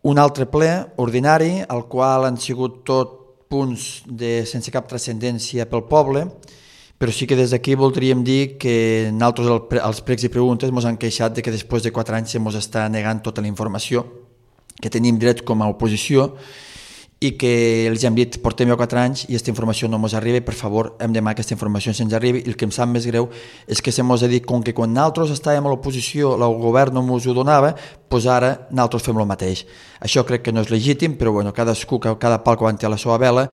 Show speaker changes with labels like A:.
A: un altre ple ordinari, al qual han sigut tot punts sense cap transcendència pel poble, però sí que des d'aquí voldríem dir que nosaltres als pregs i preguntes ens han queixat de que després de 4 anys ens està negant tota la informació que tenim dret com a oposició i que els hem dit portem 4 anys i aquesta informació no ens arriba i per favor hem demanat que aquesta informació se'ns arribi i el que em sap més greu és que se mos ha dit com que quan nosaltres estàvem a l'oposició el govern no ens ho donava, doncs ara nosaltres fem el mateix. Això crec que no és legítim, però bueno, cadascú, cada pal que aguanti a la seva vela.